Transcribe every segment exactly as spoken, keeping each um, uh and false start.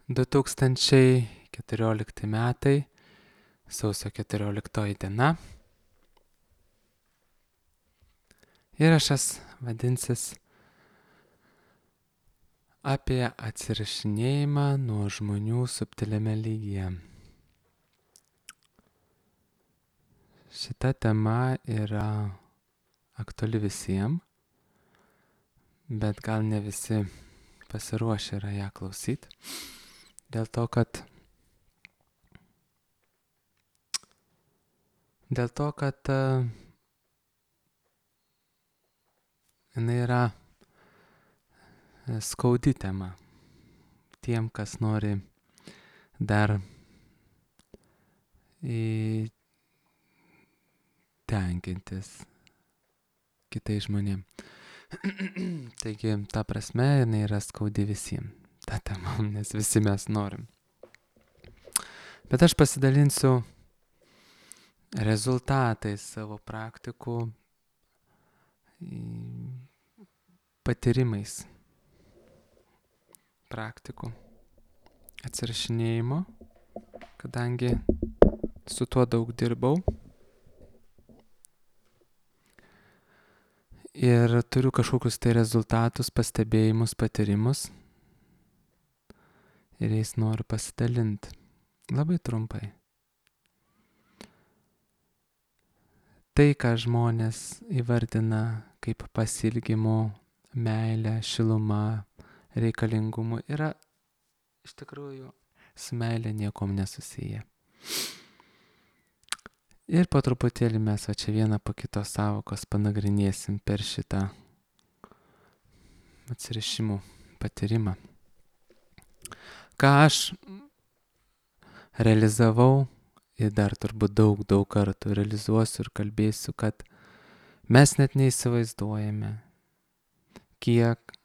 du tūkstančiai keturiolikti metai, sausio keturioliktoji diena. Įrašas vadinsis apie atsirašinėjimą nuo žmonių subtiliame lygyje. Šita tema yra aktuali visiems, bet gal ne visi pasiruošę yra ją klausyti. Dėl to, kad dėl to, kad uh, jinai yra skaudi tema tiem, kas nori dar į tenkintis kitais žmonėm. Taigi, ta prasme, jinai yra skaudi visiems, ta tema, nes visi mes norim. Bet aš pasidalinsiu rezultatais savo praktikų, patyrimais praktikų atsirašinėjimo, kadangi su tuo daug dirbau. Ir turiu kažkokius tai rezultatus, pastebėjimus, patyrimus. Ir jais noriu pasidalinti. Labai trumpai. Tai, ką žmonės įvardina kaip pasilgimo, meilę, šilumą, reikalingumu, yra iš tikrųjų su meilė niekom nesusiję. Ir po truputėlį mes va čia vieną po kitos savokos panagrinėsim per šitą atsirišimų patyrimą. Ką aš realizavau ir dar turbūt daug, daug kartų realizuosiu ir kalbėsiu, kad mes net neįsivaizduojame, kiek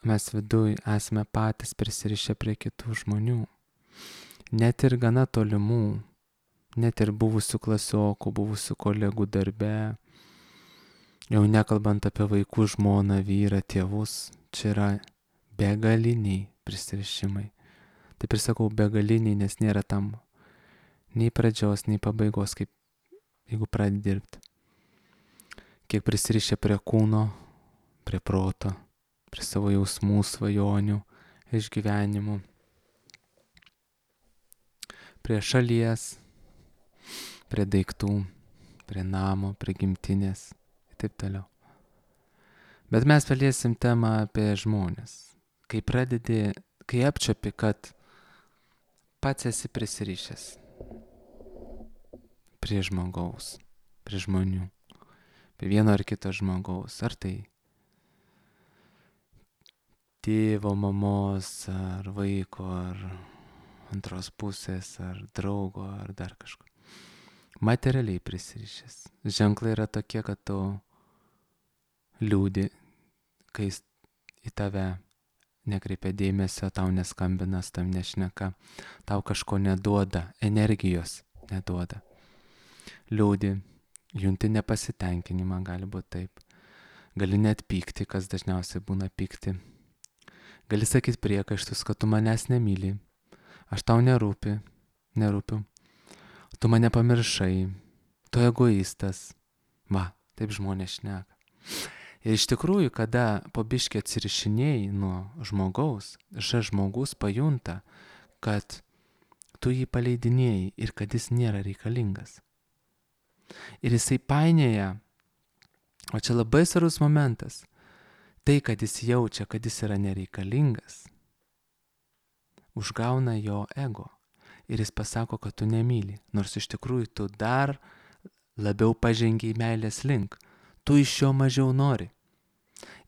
mes viduj esame patys prisirišę prie kitų žmonių, net ir gana tolimų. Net ir buvusių klasiokų, buvusių kolegų darbe, jau nekalbant apie vaikų, žmoną, vyrą, tėvus, čia yra begaliniai prisirišimai. Taip ir sakau begaliniai, nes nėra tam nei pradžios, nei pabaigos, kaip jeigu pradedi dirbti. Kiek prisirišę prie kūno, prie proto, prie savo jausmų, svajonių, išgyvenimų, prie šalies, prie daiktų, prie namo, prie gimtinės ir taip toliau. Bet mes paliesim temą apie žmonės. Kai pradedi, kai apčiuopi, kad pats esi prisirišęs prie žmogaus, prie žmonių, prie vieno ar kito žmogaus, ar tai tėvo, mamos, ar vaiko, ar antros pusės, ar draugo, ar dar kažko. Materialiai prisirišęs. Ženklai yra tokie, kad tu liūdi, kai į tave nekreipia dėmesio, tau neskambina, tam nešneka, tau kažko neduoda, energijos neduoda. Liūdi, junti nepasitenkinimą, gali būti taip. Gali net pykti, kas dažniausiai būna pykti. Gali sakyti priekaištus, kad tu manęs nemyli, aš tau nerūpi, nerūpiu. Tu mane pamiršai, tu egoistas. Va, taip žmonės šneka. Ir iš tikrųjų, kada po biškį atsirišinėjai nuo žmogaus, šis žmogus pajunta, kad tu jį paleidinėjai ir kad jis nėra reikalingas. Ir jisai painioja, o čia labai svarbus momentas, tai, kad jis jaučia, kad jis yra nereikalingas, užgauna jo ego. Ir jis pasako, kad tu nemyli, nors iš tikrųjų tu dar labiau pažengiai meilės link. Tu iš jo mažiau nori.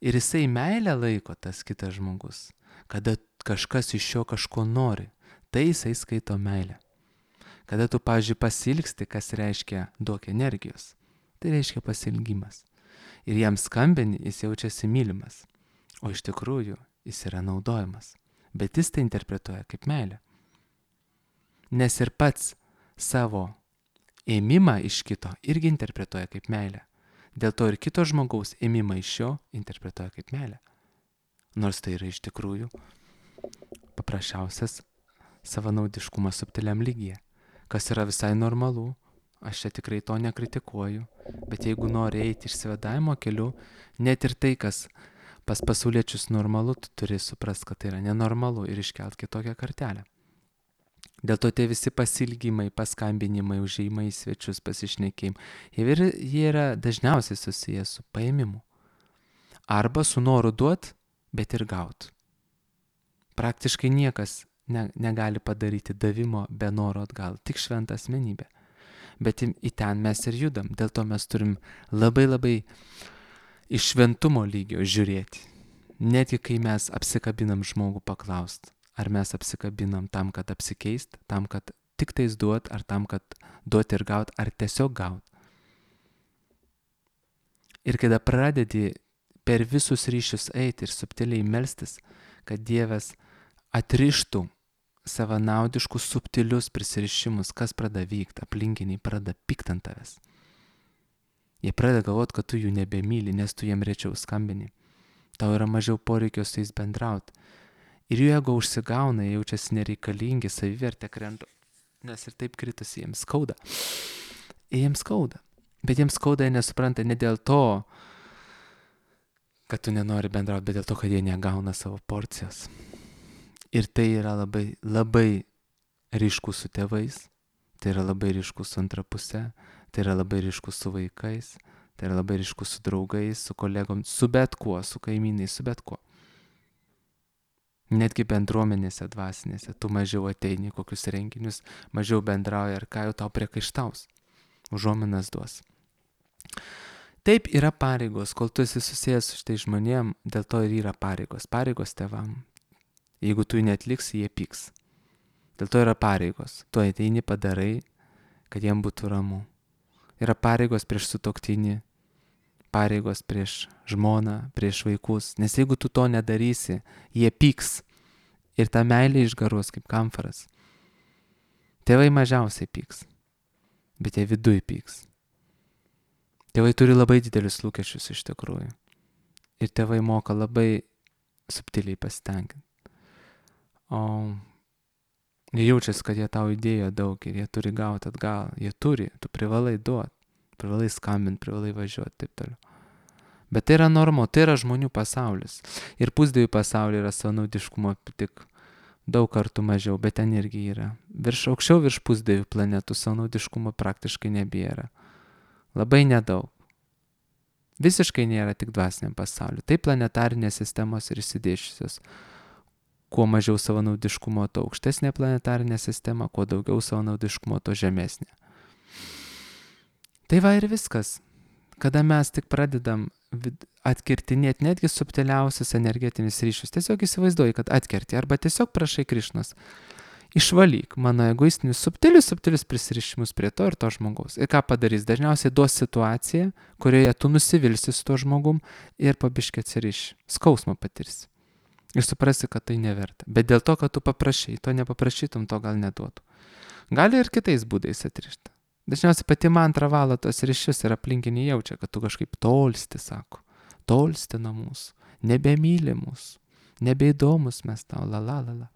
Ir jisai meilę laiko tas kitas žmogus, kada kažkas iš jo kažko nori, tai jisai skaito meilę. Kada tu, pavyzdžiui, pasilgsti, kas reiškia duok energijos, tai reiškia pasilgimas. Ir jam skambini, jis jaučiasi mylimas, o iš tikrųjų jis yra naudojamas. Bet jis tai interpretuoja kaip meilę. Nes ir pats savo ėmimą iš kito irgi interpretuoja kaip meilę. Dėl to ir kito žmogaus ėmimą iš jo interpretuoja kaip meilę. Nors tai yra iš tikrųjų paprasčiausias savanaudiškumą subtiliam lygyje, kas yra visai normalu. Aš čia tikrai to nekritikuoju, bet jeigu nori eiti išsivadavimo keliu, net ir tai, kas pas pasauliečius normalu, tu turi suprast, kad tai yra nenormalu ir iškelt kitokią kartelę. Dėl to tie visi pasilgimai, paskambinimai, užėjimai į svečius, pasišnekėjimai, jie, jie yra dažniausiai susijęs su paėmimu. Arba su noru duot, bet ir gaut. Praktiškai niekas ne, negali padaryti davimo be noro atgal, tik šventa asmenybė. Bet į ten mes ir judam, dėl to mes turim labai labai iš šventumo lygio žiūrėti. Netgi kai mes apsikabinam žmogų paklaust, ar mes apsikabinam tam, kad apsikeist, tam, kad tik tais duot, ar tam, kad duot ir gaut, ar tiesiog gaut. Ir kada pradedi per visus ryšius eiti ir subtiliai melstis, kad Dievas atrištų savanaudiškus subtilius prisirišimus, kas pradeda vykti, aplinkiniai pradeda pykt ant tavęs. Jie pradeda galvoti, kad tu jų nebemyli, nes tu jiem rečiau skambini. Tau yra mažiau poreikio su jais bendrauti. Ir jų ego užsigauna, jie jaučiasi nereikalingi, savivertė krenta, nes ir taip kritus jiems skauda. Jiems skauda. Bet jiems skauda, jie nesupranta ne dėl to, kad tu nenori bendrauti, bet dėl to, kad jie negauna savo porcijos. Ir tai yra labai, labai ryškus su tėvais, tai yra labai ryškus su antra puse, tai yra labai ryškus su vaikais, tai yra labai ryškus su draugais, su kolegom, su bet kuo, su kaimynais, su bet kuo. Netgi bendruomenėse dvasinėse, tu mažiau ateini į kokius renginius, mažiau bendrauji ir ką jau tau priekaištaus, užuominas duos. Taip yra pareigos, kol tu esi susijęs su šitai žmonėm, dėl to ir yra pareigos, pareigos tėvam. Jeigu tu jų neatliksi, jie pyks. Dėl to yra pareigos. Tu ateini padarai, kad jiem būtų ramu. Yra pareigos prieš sutuoktinį, pareigos prieš žmoną, prieš vaikus. Nes jeigu tu to nedarysi, jie pyks. Ir ta meilė išgaruos kaip kamfaras. Tėvai mažiausiai pyks, bet jie viduj pyks. Tėvai turi labai didelius lūkesčius iš tikrųjų. Ir tėvai moka labai subtiliai pasitenkinti. O jie jaučiasi, kad jie tau įdėjo daug ir jie turi gauti atgal. Jie turi, tu privalai duoti, privalai skambinti, privalai važiuoti, taip toliau. Bet tai yra normu, tai yra žmonių pasaulis. Ir pusdievių pasaulyje yra savanaudiškumo tik daug kartų mažiau, bet ten irgi yra. Virš aukščiau virš pusdievių planetų savanaudiškumo praktiškai nebėra. Labai nedaug. Visiškai nėra tik dvasiniam pasauliu. Tai planetarinės sistemos ir išsidėščiusios. Kuo mažiau savanaudiškumo, to aukštesnė planetarinė sistema, kuo daugiau savanaudiškumo, to žemesnė. Tai va ir viskas. Kada mes tik pradedam atkirtinėti netgi subtiliausius energetinius ryšius, tiesiog įsivaizduoji, kad atkerti, arba tiesiog prašai Krišnos, išvalyk mano egoistinius subtilius, subtilius prisirišimus prie to ir to žmogaus. Ir ką padarys? Dažniausiai duos situaciją, kurioje tu nusivilsi su to žmogum ir pabiškai atsiriši, skausmą patirsi. Ir suprasi, kad tai neverta. Bet dėl to, kad tu paprašai, to nepaprašytum, to gal neduotų. Gali ir kitais būdais atrišti. Dažniausiai pati mantra valo tos ryšius ir aplinkiniai jaučia, kad tu kažkaip tolsti, sako. Tolsti nuo mūsų. Nebemyli mūsų. Nebeįdomus mes tau, la la la la.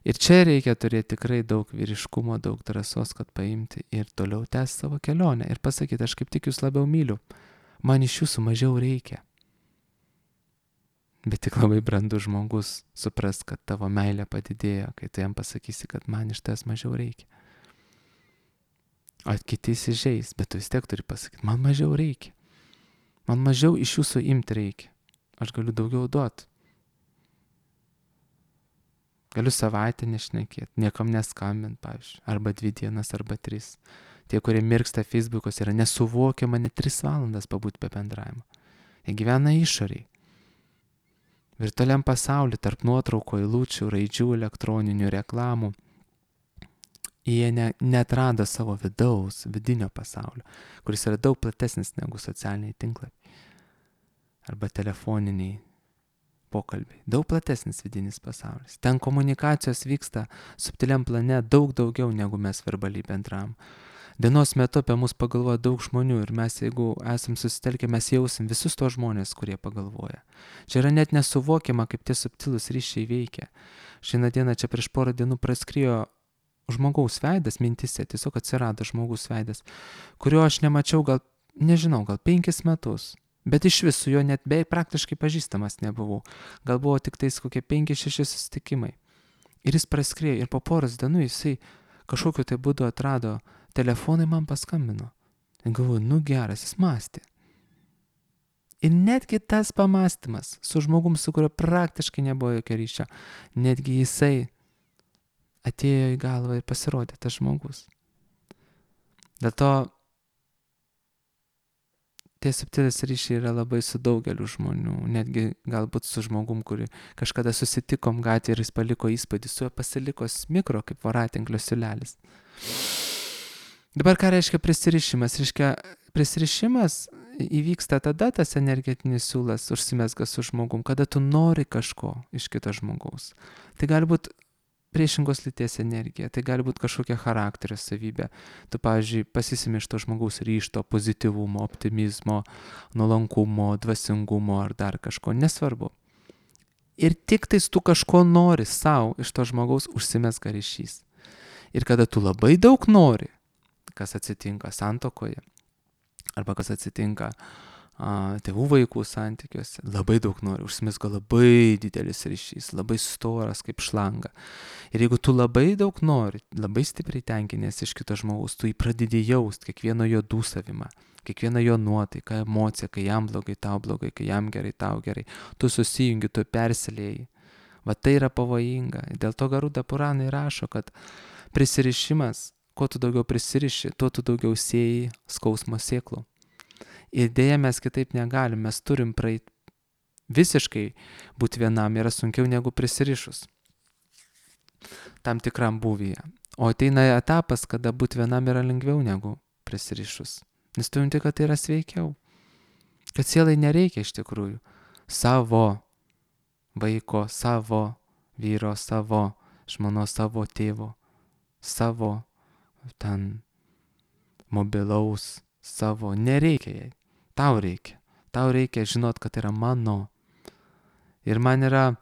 Ir čia reikia turėti tikrai daug vyriškumo, daug drąsos, kad paimti ir toliau tęsti savo kelionę. Ir pasakyti, aš kaip tik jūs labiau myliu. Man iš jūsų mažiau reikia. Bet tik labai brandus žmogus supras, kad tavo meilė padidėjo, kai tu jam pasakysi, kad man iš tavęs mažiau reikia. O kiti įsižeis, bet tu vis tiek turi pasakyti, man mažiau reikia. Man mažiau iš jūsų imti reikia. Aš galiu daugiau duoti. Galiu savaitę nešnekėti, niekam neskambint, pavyzdžiui, arba dvi dienas, arba tris. Tie, kurie mirksta Facebook'os, yra nesuvokiama net tris valandas pabūti be bendravimo. Jie gyvena išoriai. Virtualiam pasauliu, tarp nuotraukų, eilučių, raidžių, elektroninių reklamų, jie ne, neatrado savo vidaus, vidinio pasaulio, kuris yra daug platesnis negu socialiniai tinklapiai arba telefoniniai pokalbiai. Daug platesnis vidinis pasaulis. Ten komunikacijos vyksta subtiliam plane daug daugiau, negu mes verbaliai bendravom. Dienos metu apie mus pagalvoja daug žmonių ir mes, jeigu esam susitelkę, mes jausim visus tos žmonės, kurie pagalvoja. Čia yra net nesuvokiama, kaip tie subtilūs ryšiai veikia. Šiandien dieną čia prieš porą dienų praskrijo žmogaus veidas mintise, tiesiog atsirado žmogaus veidas, kurio aš nemačiau gal, nežinau, gal penkis metus. Bet iš visų jo net beveik praktiškai pažįstamas nebuvau. Gal buvo tik tais kokie penki šeši susitikimai. Ir jis praskrėjo ir po poros dienų jisai kažkokiu tai būdu atrado telefonai, man paskambino. Ir galvoju, nu geras, jis mąstė. Ir netgi tas pamastymas su žmogum, su kurio praktiškai nebuvo jokio ryšio, netgi jisai atėjo į galvą ir pasirodė tas žmogus. Dėl to tie subtilūs ryšiai yra labai su daugeliu žmonių, netgi galbūt su žmogum, kurį kažkada susitikom gatvėje ir jis paliko įspūdį, su juo pasiliko mikro kaip voratinklio siūlelis. Dabar ką reiškia prisirišimas? Reiškia, prisirišimas įvyksta tada, tas energetinis siūlas užsimezga su žmogum, kada tu nori kažko iš kito žmogaus. Tai gali būti priešingos lyties energija, tai gali būti kažkokia charakterio savybė. Tu, pavyzdžiui, pasisimi iš to žmogaus ryžto, pozityvumo, optimizmo, nuolankumo, dvasingumo ar dar kažko, nesvarbu. Ir tik tais tu kažko nori savo iš to žmogaus užsimezga ryšys. Ir kada tu labai daug nori, kas atsitinka santuokoje, arba kas atsitinka a, tėvų vaikų santykiuose, labai daug nori, užsimezga labai didelis ryšys, labai storas kaip šlanga. Ir jeigu tu labai daug nori, labai stipriai tenkinės iš kito žmogaus, tu jį pradedi jaust, kiekvieno jo dūsavimą, kiekvieną jo nuotaiką, emociją, kai jam blogai, tau blogai, kai jam gerai, tau gerai, tu susijungi, tu persilieji. Va tai yra pavojinga. Dėl to Garuda Puranai rašo, kad prisirišimas, kuo tu daugiau prisiriši, tuo tu daugiau sėjai skausmo sėklų. Ir dėja mes kitaip negalim, mes turim praeit visiškai būti vienam yra sunkiau negu prisirišus tam tikram būvyje. O ateina etapas, kada būti vienam yra lengviau negu prisirišus. Nes tu jauti, kad tai yra sveikiau. Kad sielai nereikia iš tikrųjų savo vaiko, savo vyro, savo žmonos, savo tėvo, savo ten mobilaus, savo. Nereikia jai. Tau reikia. Tau reikia žinot, kad tai yra mano. Ir man yra,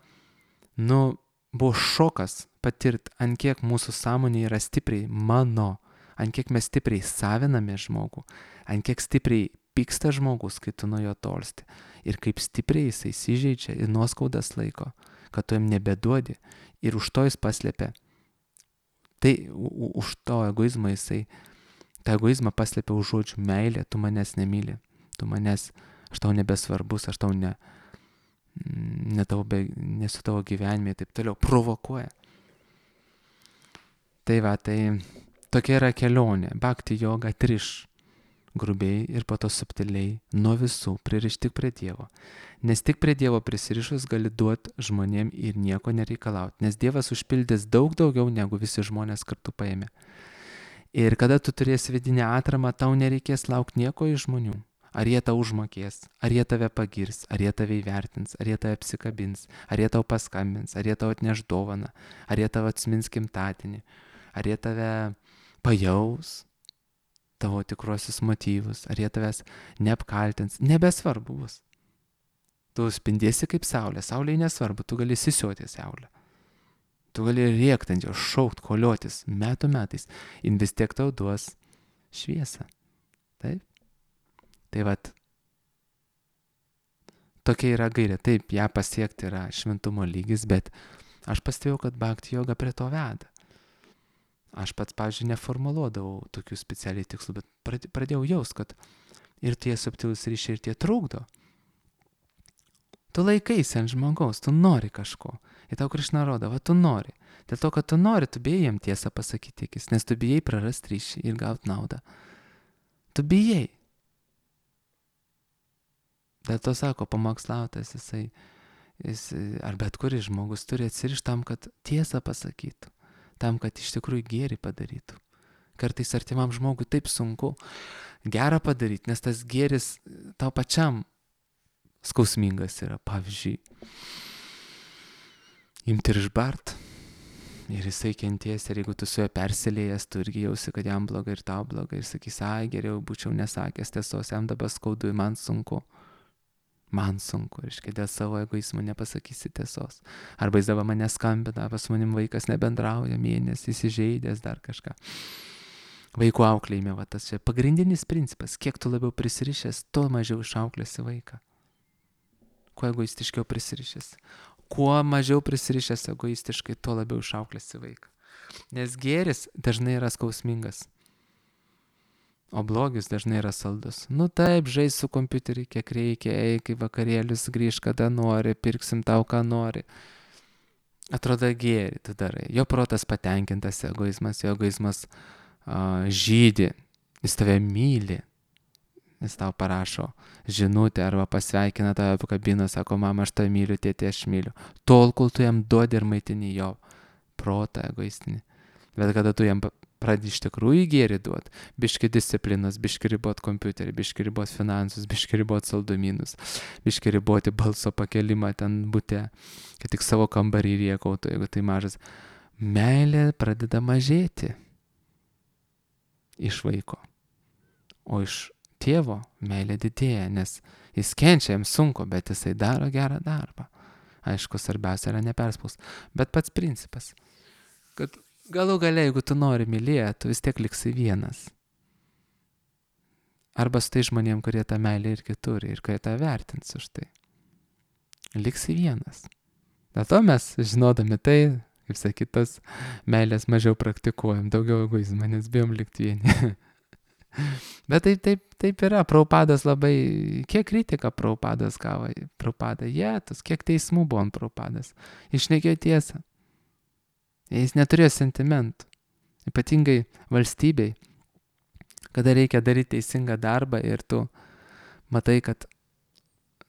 nu, buvo šokas patirti, ant kiek mūsų sąmonė yra stipriai mano, ant kiek mes stipriai saviname žmogų, ant kiek stipriai pyksta žmogus, kai tu nuo jo tolsti. Ir kaip stipriai jisai įsižeidžia ir nuoskaudas laiko, kad tu jam nebeduodi. Ir už to jis paslėpia. Tai u, už to egoizmą jisai, tą egoizmą paslėpia už žodžių meilė, tu manęs nemyli. Tu manęs, aš tau nebesvarbus, aš tau ne, ne tavo be, nesu tavo gyvenime ir taip toliau, provokuoja. Tai va, tai tokia yra kelionė, bhakti yoga triš grubiai ir po to subtiliai nuo visų pririšti tik prie Dievo. Nes tik prie Dievo prisirišus gali duoti žmonėm ir nieko nereikalauti, nes Dievas užpildys daug daugiau negu visi žmonės kartu paėmė. Ir kada tu turėsi vidinę atramą, tau nereikės laukti nieko iš žmonių. Ar jie tau užmokės, ar jie tave pagirs, ar jie tave įvertins, ar jie tave apsikabins, ar jie tau paskambins, ar jie tau atneš dovaną, ar jie tau atsimins gimtadienį, ar jie tave pajaus, tavo tikruosius motyvus, ar jie tavęs neapkaltins, nebesvarbu bus. Tu spindėsi kaip saulė, saulė nesvarbu, tu gali sisiuoti saulę. Tu gali rėkti ant jo, šaukt, koliotis metų metais, ir vis tiek tau duos šviesą. Taip? Tai vat, tokia yra gairė. Taip, ją pasiekti yra šventumo lygis, bet aš pastebėjau, kad bhakti yoga prie to veda. Aš pats, pavyzdžiui, neformuluodavau tokių specialiai tikslų, bet pradėjau jaust, kad ir tie subtilūs ryšiai, ir tie trukdo. Tu laikaisi ant žmogaus, tu nori kažko. Ir tau Krišna rodo, va tu nori. Dėl to, kad tu nori, tu bijai jam tiesą pasakyti akis, nes tu bijai prarasti ryšį ir gauti naudą. Tu bijai. Dėl to sako, pamokslautas jisai, jis, ar bet kuris žmogus turi atsirišti tam, kad tiesą pasakytų, tam, kad iš tikrųjų gėrį padarytų. Kartais artimam žmogui taip sunku gerą padaryti, nes tas gėris tau pačiam skausmingas yra. Pavyzdžiui, imti ir išbart, Ir jisai kenties, ir jeigu tu su juo persilėjęs, tu irgi jausi, kad jam blogai ir tau blogai. Ir sakys, ai, geriau būčiau nesakęs tiesos, jam dabar skaudu, man sunku. Man sunku, reiškia, dėl savo egoizmo nepasakysi tiesos. Arba jis dabar mane skambina, pas manim vaikas nebendrauja mėnesį, įsižeidęs dar kažką. Vaikų auklėjime, va tas čia pagrindinis principas. Kiek tu labiau prisirišęs, tuo mažiau išauklėsi vaiką. Kuo egoistiškiau prisirišęs. Kuo mažiau prisirišęs egoistiškai, tuo labiau išauklėsi vaiką. Nes gėris dažnai yra skausmingas. O blogis dažnai yra saldus. Nu taip, žais su kompiuteriu, kiek reikia, eik į vakarėlius, grįžk kada nori, pirksim tau, ką nori. Atrodo gėri tu darai. Jo protas patenkintas, egoizmas, jo egoizmas uh, žydi, jis tave myli. Jis tau parašo žinutę arba pasveikina tave apkabina, sako, mama, aš tave myliu, tėtė, aš myliu. Tol, kol tu jam duodi ir maitini jo protą egoistinį. Bet kada tu jam pradedi iš tikrųjų gėrį duot, biški disciplinos, biški ribot kompiuterį, biški ribot finansus, biški ribot saldumynus, biški riboti balso pakelimą ten bute, kad tik savo kambarį riekautų, jeigu tai mažas. Meilė pradeda mažėti iš vaiko, o iš tėvo meilė didėja, nes jis kenčia, jam sunku, bet jisai daro gerą darbą. Aišku, svarbiausia yra neperspaus. Bet pats principas, kad galų gale, jeigu tu nori mylėti, tu vis tiek liksi vienas. Arba su tai žmonėm, kurie tą meilę irgi turi ir kurie tą vertins už tai. Liksi vienas. Dėl to mes, žinodami tai, kaip sakytas, meilės mažiau praktikuojam, daugiau egoizmą, nes bijom likti vieni. Bet taip, taip, taip yra. Prabhupadas labai, kiek kritika Prabhupadas gavo, Prabhupada, jėtus, kiek teismų buvo ant Prabhupadas. Išnekėjo tiesą. Jis neturėjo sentimentų. Ypatingai valstybei, kada reikia daryti teisingą darbą ir tu matai, kad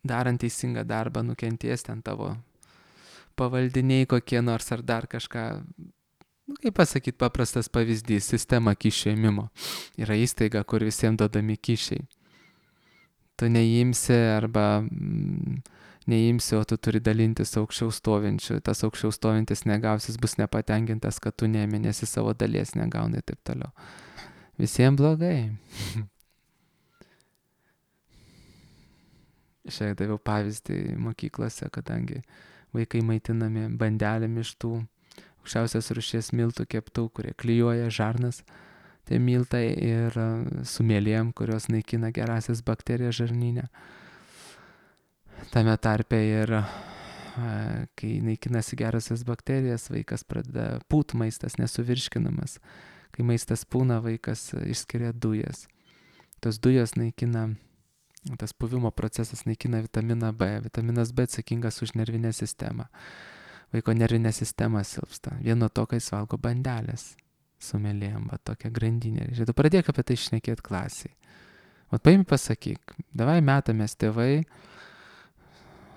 darant teisingą darbą nukenties ten tavo pavaldiniai kokie nors ar dar kažką. Nu, kaip pasakyti, paprastas pavyzdys, sistema kyšių ėmimo. Yra įstaiga, kur visiems duodami kyšiai. Tu neimsi arba mm, neimsi, o tu turi dalintis aukščiau stovinčių. Tas aukščiau stovintis negausis, bus nepatenkintas, kad tu neimi, nes į savo dalies negauni ir taip toliau. Visiems blogai. Šiek daviau pavyzdį mokyklose, kadangi vaikai maitinami bandelėm iš tų aukščiausios rūšies miltų keptų, kurie klijuoja žarnas, tai miltai ir su mielėm, kurios naikina gerasias bakterijas žarnyne. Tame tarpe ir kai naikinasi gerasias bakterijas, vaikas pradeda pūt maistas nesuvirškinamas. Kai maistas pūna, vaikas išskiria dujas. Tos dujos naikina, tas puvimo procesas naikina vitaminą B. Vitaminas B atsakingas už nervinę sistemą. Vaiko nervinė sistema silpsta. Vieno to, kai jis valgo bandelės su mielėm, va tokia grandinė. Žiūrėk, tu pradėk apie tai šnekėti klasiai. O paimi pasakyk, davai metamės tėvai,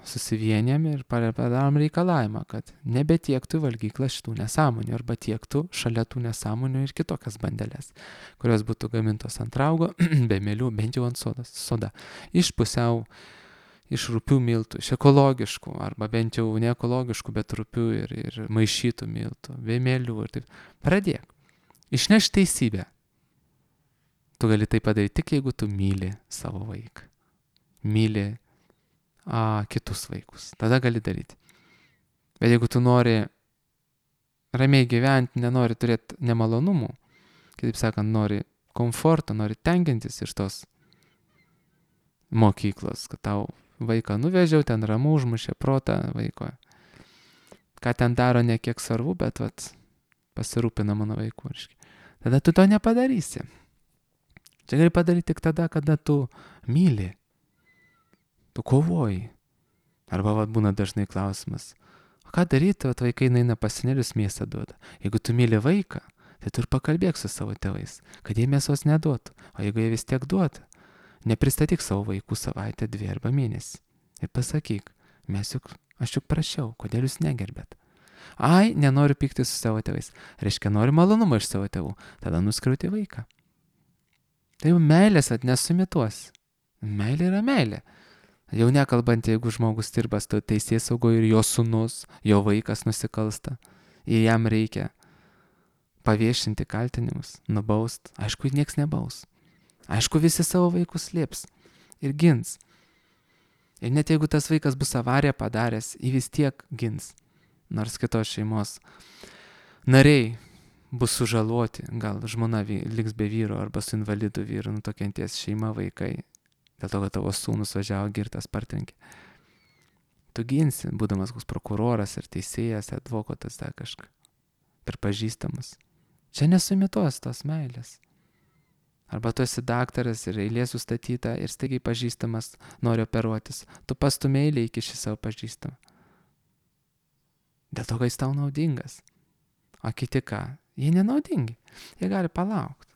susivienėm ir padarom reikalavimą, kad nebetiektų valgyklą šitų nesąmonių arba tiektų šalia tų nesąmonių ir kitokias bandelės, kurios būtų gamintos ant raugo, be mėlių, bent jau ant sodas, soda. Iš pusiau iš rupių miltų, iš ekologiškų, arba bent jau ne ekologiškų, bet rupių ir, ir maišytų miltų, vėmėlių ir taip. Pradėk. Išneš teisybę. Tu gali tai padaryti tik, jeigu tu myli savo vaiką. Myli a, kitus vaikus. Tada gali daryti. Bet jeigu tu nori ramiai gyventi, nenori turėti nemalonumų, kitaip sakant, nori komforto, nori tenkintis iš tos mokyklos, kad tau vaiką nuvežiau, ten ramu, užmušė protą vaiko. Ką ten daro, ne kiek svarbu, bet vat, pasirūpina mano vaikų. Tada tu to nepadarysi. Čia gali padaryti tik tada, kada tu myli. Tu kovoji. Arba vat, būna dažnai klausimas. O ką daryti, vat, vaikai naina pasinėlius mėsą duoda. Jeigu tu myli vaiką, tai tu ir pakalbėk su savo tėvais, kad jie mėsos neduotų. O jeigu jie vis tiek duoda, nepristatyk savo vaikų savaitę, dvi arba mėnesį. Ir pasakyk, mes juk, aš juk prašiau, kodėl jūs negerbėt. Ai, nenoriu pykti su savo tėvais. Reiškia, nori malonumą iš savo tėvų. Tada nuskriauti vaiką. Tai jau meilės atnesumituos. Meilė yra meilė. Jau nekalbant, jeigu žmogus dirba teisės saugoje ir jo sūnus, jo vaikas nusikalsta. Jei jam reikia paviešinti kaltinimus, nubaust, aišku, nieks nebaus. Aišku, visi savo vaikus slėps ir gins. Ir net jeigu tas vaikas bus avariją padaręs, jį vis tiek gins. Nors kitos šeimos nariai bus sužaloti, gal žmona liks be vyro arba su invalidu vyru, nu tokianties šeima, vaikai, dėl to, kad tavo sūnus važiavo girtas partrenkė. Tu ginsi, būdamas koks prokuroras ir teisėjas, advokatas, dar kažką, pripažįstamas. Čia nesumituos tos meilės. Arba tu esi daktaras ir eilė sustatyta ir staigiai pažįstamas nori operuotis. Tu pastumė eilę iki šį savo pažįstamą. Dėl to, kad jis tau naudingas. O kiti ką? Jie nenaudingi. Jie gali palaukti.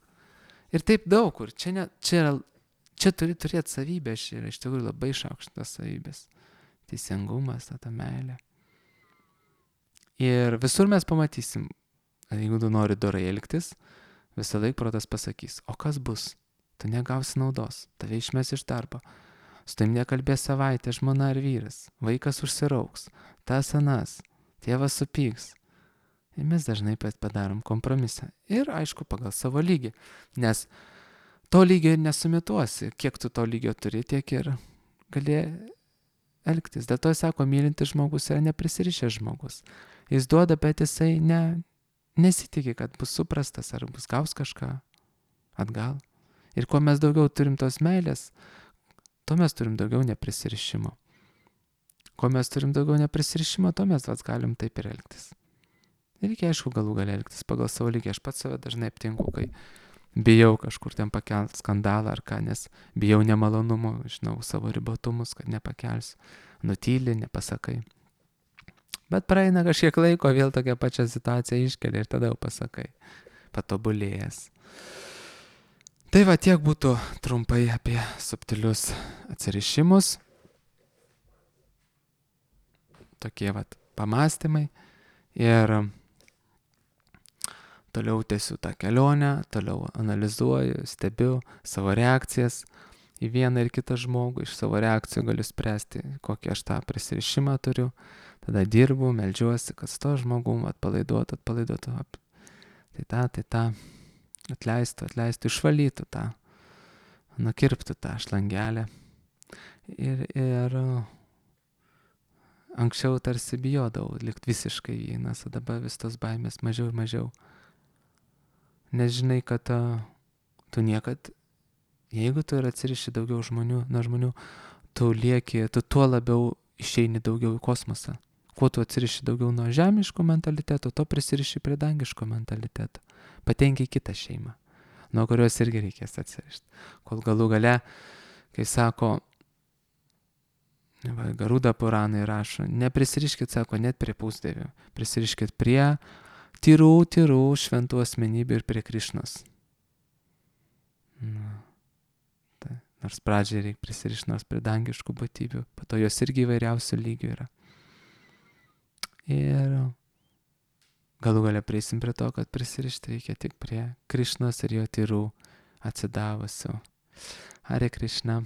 Ir taip daug kur. Čia, ne, čia, yra, čia turi turėti savybės. Čia yra iš tikrųjų labai išaukštas savybės. Teisingumas, ta meilė. Ir visur mes pamatysim, jeigu tu nori dorai elgtis, visą laiką protas pasakys, o kas bus? Tu negausi naudos, tave išmes iš darbo. Su tavim nekalbės savaitę žmona ar vyras, vaikas užsirauks, tas anas, tėvas supyks. Ir mes dažnai padarom kompromisą. Ir aišku, pagal savo lygį. Nes to lygio ir nesumituosi. Kiek tu to lygio turi, tiek ir gali elgtis. Dėl to jis sako, mylintis žmogus yra neprisirišęs žmogus. Jis duoda, bet jisai ne... nesitikė, kad bus suprastas ar bus gaus kažką atgal. Ir kuo mes daugiau turim tos meilės, tuo mes turim daugiau neprisirišimo. Kuo mes turim daugiau neprisirišimo, tuo mes vats galim taip ir elgtis. Ir reikia, aišku, galų gali elgtis pagal savo lygį. Aš pats save dažnai aptinku, kai bijau kažkur ten pakelt skandalą ar ką, nes bijau nemalonumų, žinau savo ribotumus, kad nepakelsiu. Nutyli, nepasakai. Bet praeina kažkiek laiko, vėl tokia pačia situacija iškelia ir tada jau pasakai, patobulėjęs. Tai va, tiek būtų trumpai apie subtilius atsirišimus. Tokie va pamastymai. Ir toliau tęsiu tą kelionę, toliau analizuoju, stebiu savo reakcijas į vieną ir kitą žmogų. Iš savo reakcijų galiu spręsti, kokį aš tą prisirišimą turiu. Tada dirbu, meldžiuosi, kad su to žmogum atpalaiduotų, atpalaiduotų. Tai tą, tai tą, atleistų, atleistų, išvalytų tą, nukirptų tą šlangelę. Ir, ir anksčiau tarsi bijodavau likti visiškai vienas, o dabar vis tos baimės mažiau ir mažiau. Nes žinai, kad uh, tu niekad, jeigu tu ir atsiriši daugiau žmonių, nuo žmonių, tu lieki, tu tuo labiau išeini daugiau į kosmosą. Kuo tu atsiriši daugiau nuo žemiško mentaliteto, to prisiriši prie dangiško mentaliteto. Patenki į kitą šeimą, nuo kurios irgi reikės atsirišti. Kol galų gale, kai sako, va, Garuda Puranai rašo, neprisiriškit, sako, net prie pusdievių, prisiriškit prie tyrų, tyrų šventų asmenybių ir prie Krišnos. Na, tai, nors pradžiai reikia prisirišti nors prie dangiškų būtybių, po to jos irgi įvairiausių lygių yra. Ir galų gale prieisim prie to, kad prisirišti reikia tik prie Krišnos ir jo tyrų atsidavusių. Hare Krishna.